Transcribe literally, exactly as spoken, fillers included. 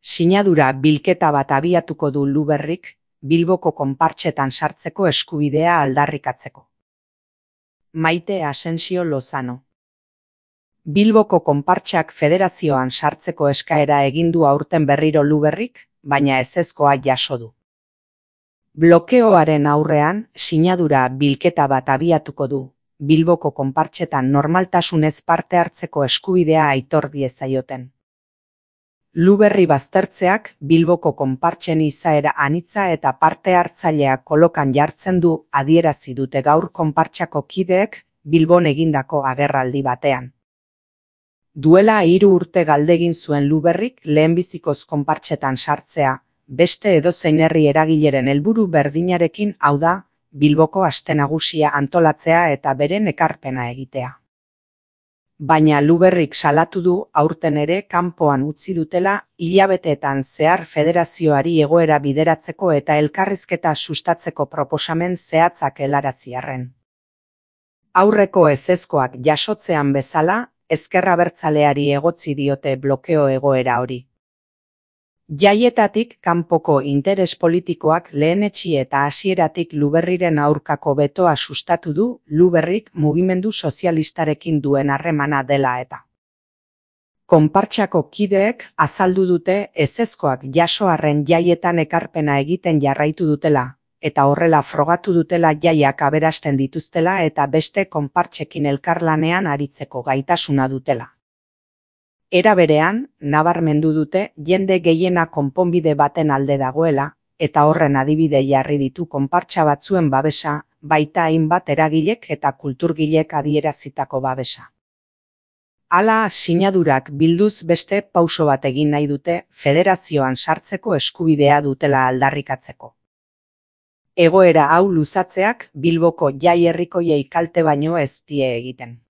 Sinadura bilketa bat abiatuko du Luberrik, Bilboko konpartsetan sartzeko eskubidea aldarrikatzeko. Maite Asensio Lozano. Bilboko konpartsak federazioan sartzeko eskaera egin du aurten berriro Luberrik, baina ezezkoa jaso du. Blokeoaren aurrean, sinadura bilketa bat abiatuko du, Bilboko konpartsetan normaltasunez parte hartzeko eskubidea aitor diezaioten. Luberri baztertzeak Bilboko konpartsen izaera anitza eta parte hartzailea kolokan jartzen du adierazi dute gaur konpartsako kideek Bilbon egindako agerraldi batean. Duela hiru urte galdegin zuen Luberrik lehenbizikoz konpartsetan sartzea, beste edozein herri eragileren helburu berdinarekin, hau da, Bilboko aste nagusia antolatzea eta beren ekarpena egitea. Baina Luberrik salatu du aurten ere kanpoan utzi dutela hilabeteetan zehar federazioari egoera bideratzeko eta elkarrizketa sustatzeko proposamen zehatzak helarazi arren. Aurreko ezezkoak jasotzean bezala, ezker abertzaleari egotzi diote blokeo egoera hori. Jaietatik kanpoko interes politikoak lehenetsi eta hasieratik Luberriren aurkako betoa sustatu du Luberrik mugimendu sozialistarekin duen harremana dela eta. Konpartsako kideek azaldu dute ezezkoak jaso arren jaietan ekarpena egiten jarraitu dutela, eta horrela frogatu dutela jaiak aberasten dituztela eta beste konpartsekin elkarlanean aritzeko gaitasuna dutela. Era berean, nabarmendu dute jende gehiena konponbide baten alde dagoela, eta horren adibide jarri ditu konpartsa batzuen babesa, baita hainbat eragilek eta kulturgilek adierazitako babesa. Hala, sinadurak bilduz beste pauso bat egin nahi dute federazioan sartzeko eskubidea dutela aldarrikatzeko. Egoera hau luzatzeak Bilboko jai herrikoiei kalte baino ez die egiten.